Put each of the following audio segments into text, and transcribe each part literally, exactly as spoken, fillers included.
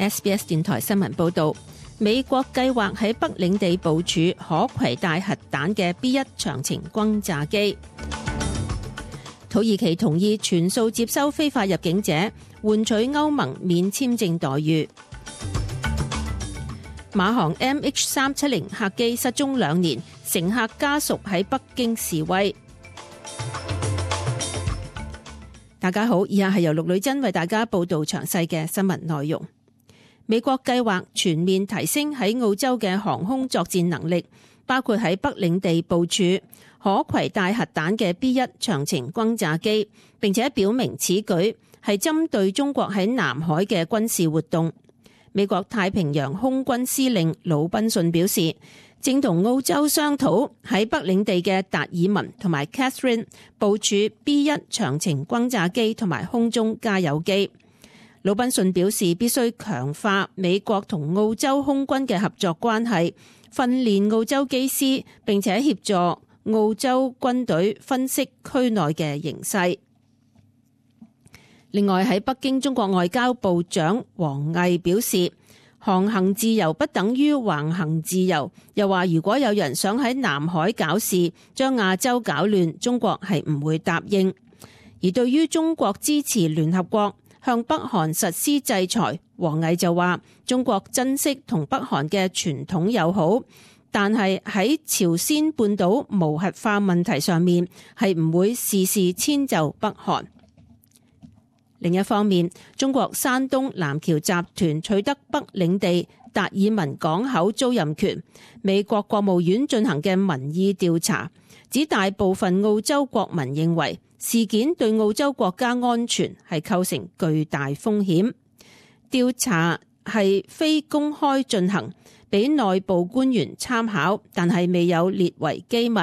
S B S 電台新聞報道，美國計劃喺北領地部署可攜帶核彈嘅 B 一長程轟炸機。土耳其同意全數接收非法入境者，換取歐盟免簽證待遇。馬航 M H 三七零客機失蹤兩年，乘客家屬喺北京示威。大家好，以下係由陸女真為大家報道詳細嘅新聞內容。美國計劃全面提升喺澳洲嘅航空作戰能力，包括喺北領地部署可攜帶核彈嘅 B 一長程轟炸機，並且表明此舉係針對中國喺南海嘅軍事活動。美國太平洋空軍司令魯賓遜表示，正同澳洲商討喺北領地嘅達爾文同埋 Catherine 部署 B 一長程轟炸機同埋空中加油機。魯賓遜表示，必須強化美國同澳洲空軍嘅合作關係，訓練澳洲機師，並且協助澳洲軍隊分析區內嘅形勢。另外喺北京，中國外交部長王毅表示，航行自由不等於橫行自由，又話如果有人想喺南海搞事，將亞洲搞亂，中國係唔會答應。而對於中國支持聯合國向北韓實施制裁，王毅就話中國珍惜同北韓嘅傳統友好，但係喺朝鮮半島無核化問題上面係唔會事事遷就北韓。另一方面，中國山東南橋集團取得北領地達爾文港口租賃權，美國國務院進行嘅民意調查指，大部分澳洲國民認為事件對澳洲國家安全係構成巨大風險。調查係非公開進行，俾內部官員參考，但係未有列為機密。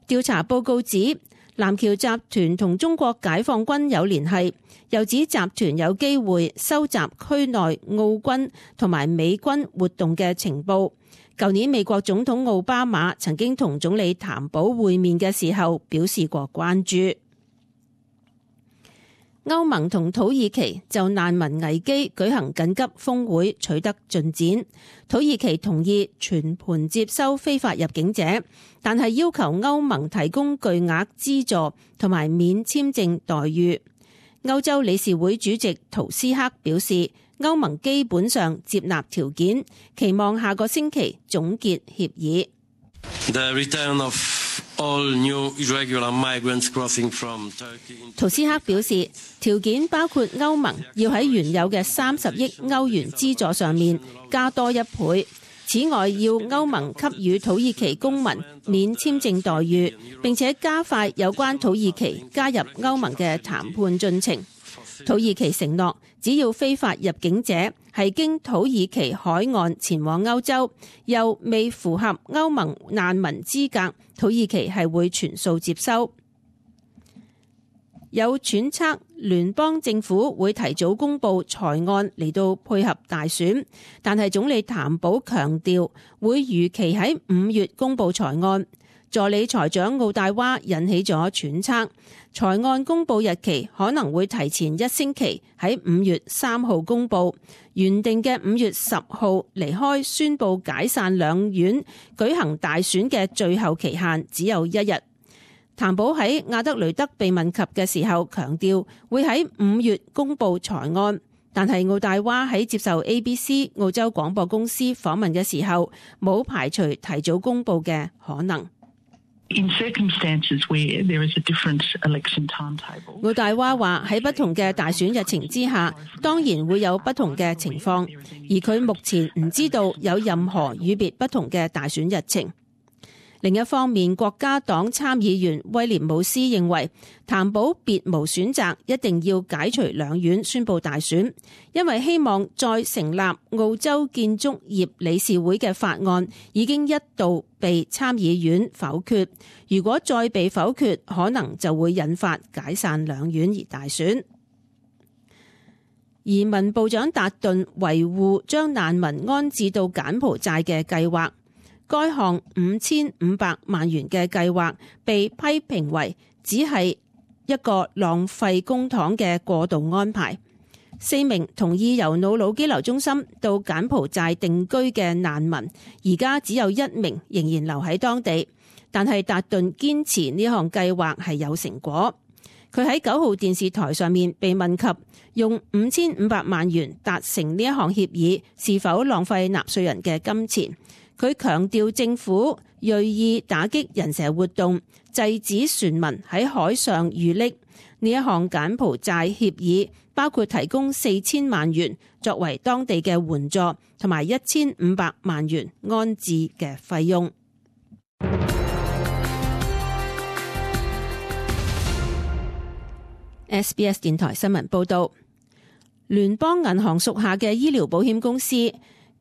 調查報告指，南橋集團同中國解放軍有聯繫，又指集團有機會收集區內澳軍同埋美軍活動嘅情報。舊年美國總統奧巴馬曾經同總理譚寶會面嘅時候表示過關注。歐盟同土耳其就難民危機舉行緊急峰會，取得進展。土耳其同意全盤接收非法入境者，但係要求歐盟提供巨額資助同埋免簽證待遇。歐洲理事會主席圖斯克表示，歐盟基本上接納條件，期望下個星期總結協議。The return of all new irregular migrants crossing from Turkey. 圖斯克表示，條件包括歐盟要喺原有嘅三十億歐元資助上面加多一倍，此外要歐盟給予土耳其公民免簽證待遇，並且加快有關土耳其加入歐盟嘅談判進程。土耳其承諾，只要非法入境者係經土耳其海岸前往歐洲，又未符合歐盟難民資格，土耳其係會全數接收。有揣測聯邦政府會提早公布財案嚟到配合大選，但係總理譚寶強調會如期喺五月公布財案。助理財長奧大娃引起咗揣測，財案公布日期可能會提前一星期喺五月三號公布，原定嘅五月十號離開宣布解散兩院舉行大選嘅最後期限只有一日。譚寶喺亞德雷德被問及嘅時候強調會喺五月公布財案，但係奧大娃喺接受 A B C 澳洲廣播公司訪問嘅時候冇排除提早公布嘅可能。In circumstances where there is a different election timetable. 奧大娃話喺不同嘅大選日程之下，當然會有不同嘅情況，而佢目前唔知道有任何與別不同嘅大選日程。另一方面，國家黨參議員威廉姆斯認為譚寶別無選擇，一定要解除兩院宣布大選，因為希望再成立澳洲建築業理事會嘅法案已經一度被參議院否決，如果再被否決，可能就會引發解散兩院而大選。移民部長達頓維護將難民安置到柬埔寨嘅計劃。該項五千五百萬元嘅計劃被批評為只係一個浪費公帑嘅過渡安排。四名同意由瑙魯羈留中心到柬埔寨定居嘅難民，而家只有一名仍然留喺當地。但係達頓堅持呢項計劃係有成果。佢喺九號電視台上面被問及用五千五百萬元達成呢一項協議是否浪費納稅人嘅金錢，佢強調政府銳意打擊人蛇活動，制止船民喺海上遇溺。呢一項柬埔寨協議包括提供四千萬元作為當地嘅援助，同埋一千五百萬元安置嘅費用。S B S 電台新聞報道，聯邦銀行屬下嘅醫療保險公司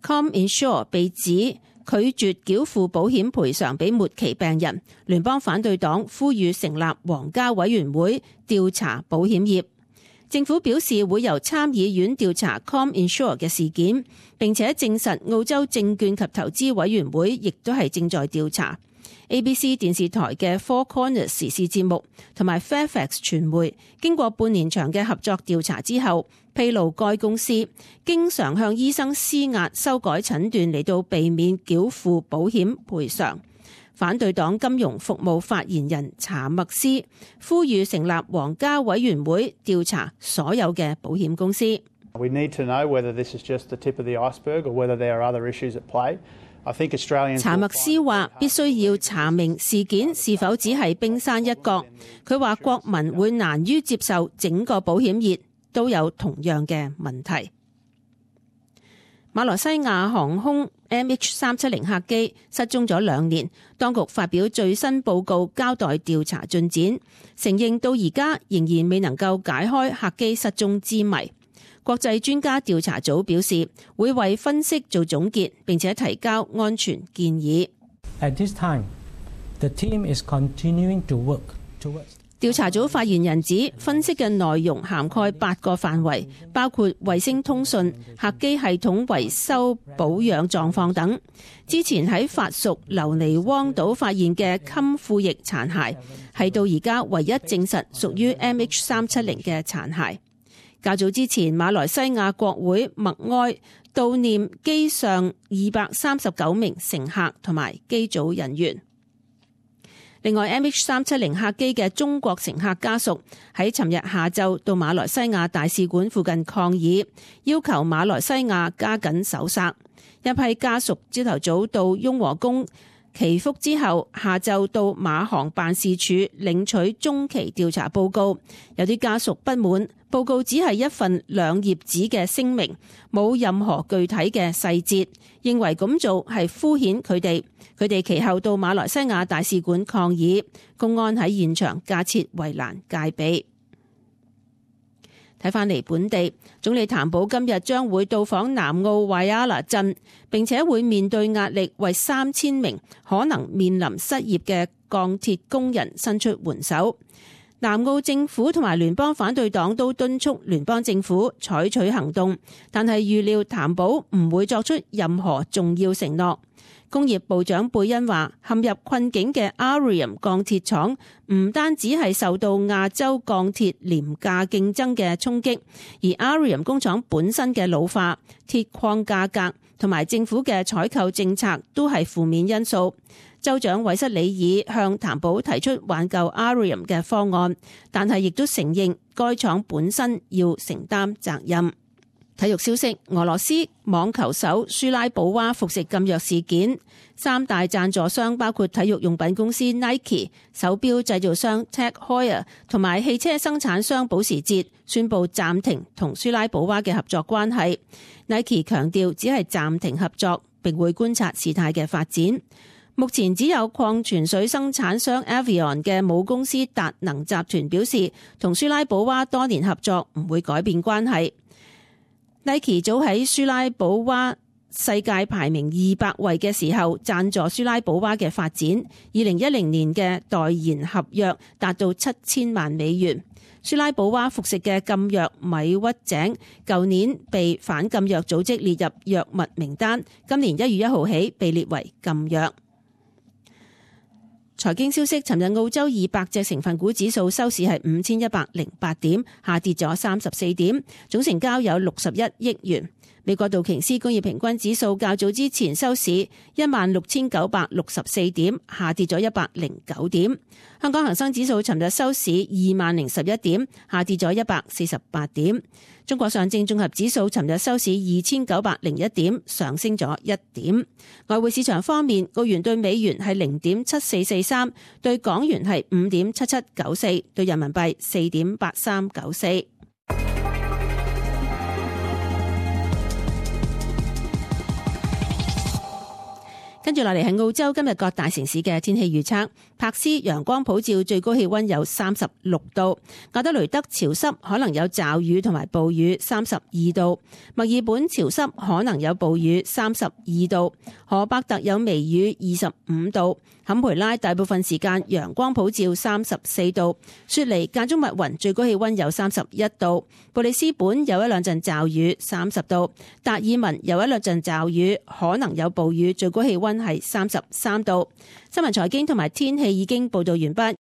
ComInsure 被指拒絕繳付保險賠償俾末期病人。聯邦反對黨呼籲成立皇家委員會調查保險業。政府表示會由參議院調查 ComInsure 嘅事件，並且證實澳洲證券及投資委員會亦都係正在調查。A B C 電視台嘅 Four Corners 時事節目同埋 Fairfax 傳媒經過半年長嘅合作調查之後，披露該公司經常向醫生施壓修改診斷嚟到避免繳付保險賠償。反對黨金融服務發言人查默斯呼籲成立皇家委員會調查所有嘅保險公司。We need to know whether this is just the tip of the iceberg or whether there are other issues at play. 查默斯話必須要查明事件是否只係冰山一角。佢話國民會難於接受整個保險業都有同樣嘅問題。馬來西亞航空 M H 三七零客機失蹤咗兩年，當局發表最新報告交代調查進展，承認到而家仍然未能夠解開客機失蹤之謎。國際專家調查組表示會為分析做總結，並且提交安全建議。At this time, the team is continuing to work towards 調查組發言人指，分析嘅內容涵蓋八個範圍，包括衛星通訊、客機系統維修保養狀況等。之前喺法屬留尼汪島發現嘅襟副翼殘骸，係到而家唯一證實屬於 M H 三七零嘅殘骸。較早之前，馬來西亞國會默哀悼念機上二百三十九名乘客同埋機組人員。另外 M H 三七零客機嘅中國乘客家屬喺尋日下晝到馬來西亞大使館附近抗議，要求馬來西亞加緊搜索。一批家屬朝頭早到雍和宮祈福之後，下晝到馬航辦事處領取中期調查報告。有啲家屬不滿報告只係一份兩頁紙嘅聲明，冇任何具體嘅細節，認為咁做係敷衍佢哋。佢哋其後到馬來西亞大使館抗議，公安喺現場架設圍欄戒備。睇返嚟本地，總理譚寶今日將會到訪南澳維亞納鎮，並且會面對壓力，為三千名可能面臨失業嘅鋼鐵工人伸出援手。南澳政府同埋聯邦反對黨都敦促聯邦政府採取行動，但係預料譚寶唔會作出任何重要承諾。工業部長貝恩話，陷入困境嘅 Arrium 鋼鐵廠唔單止係受到亞洲鋼鐵廉價競爭嘅衝擊，而 Arrium 工廠本身嘅老化、鐵礦價格同埋政府嘅採購政策都係負面因素。州長韋瑟里爾向譚寶提出挽救 Arrium 嘅方案，但係亦都承認該廠本身要承擔責任。體育消息，俄羅斯網球手舒拉保娃服食禁藥事件，三大贊助商包括體育用品公司 Nike、手錶製造商 Tag Heuer 同埋汽車生產商保時捷宣布暫停同舒拉保娃嘅合作關係。Nike 強調只係暫停合作，並會觀察事態嘅發展。目前只有礦泉水生產商 Evian 嘅母公司達能集團表示，同舒拉保娃多年合作唔會改變關係。Nike 早喺舒拉保娃世界排名二百位嘅時候贊助舒拉保娃嘅發展，二零一零年嘅代言合約達到七千萬美元。舒拉保娃服食嘅禁藥米屈井，舊年被反禁藥組織列入藥物名單，今年一月一號起被列為禁藥。財經消息，尋日澳洲二百隻成分股指數收市係五千一百零八點，下跌咗三十四點，總成交有六十一億元。美國道瓊斯工業平均指數較早之前收市一萬六千九百六十四點，下跌咗一百零九點。香港恒生指數尋日收市二萬零十一點，下跌咗一百四十八點。中國上證綜合指數尋日收市二千九百零一點，上升咗一點。外匯市場方面，澳元對美元係零點七四四三，對港元係五點七七九四，對人民幣四點八三九四。跟住落嚟係澳洲今日各大城市嘅天氣預測。柏斯陽光普照，最高氣溫有三十六度；阿德雷德潮濕，可能有驟雨同埋暴雨，三十二度；墨爾本潮濕，可能有暴雨，三十二度；荷伯特有微雨，二十五度；坎培拉大部分時間陽光普照，三十四度；雪梨間中密雲，最高氣溫有三十一度；布里斯本有一兩陣驟雨，三十度；達爾文有一兩陣驟雨，可能有暴雨，最高氣溫係三十三度。新聞財經同埋天氣已經報道完畢。